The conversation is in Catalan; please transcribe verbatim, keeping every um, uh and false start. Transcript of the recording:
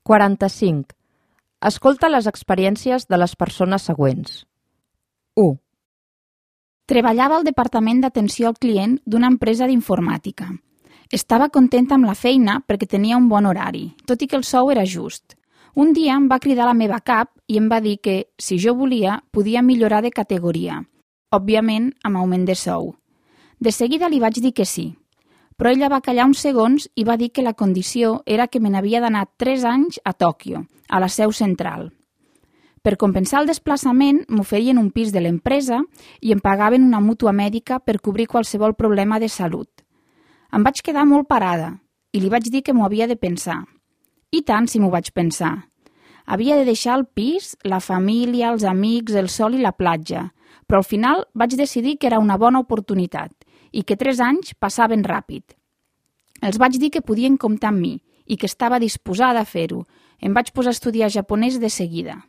quaranta-cinc. Escolta les experiències de les persones següents. u. Treballava al departament d'atenció al client d'una empresa d'informàtica. Estava contenta amb la feina perquè tenia un bon horari, tot i que el sou era just. Un dia em va cridar a la meva cap i em va dir que, si jo volia, podia millorar de categoria, òbviament amb augment de sou. De seguida li vaig dir que sí, però ella va callar uns segons i va dir que la condició era que me n'havia d'anar tres anys a Tòquio, a la seu central. Per compensar el desplaçament, m'oferien un pis de l'empresa i em pagaven una mútua mèdica per cobrir qualsevol problema de salut. Em vaig quedar molt parada i li vaig dir que m'ho havia de pensar. I tant si m'ho vaig pensar. Havia de deixar el pis, la família, els amics, el sol i la platja, però al final vaig decidir que era una bona oportunitat i que tres anys passaven ràpid. Els vaig dir que podien comptar amb mi i que estava disposada a fer-ho. Em vaig posar a estudiar japonès de seguida.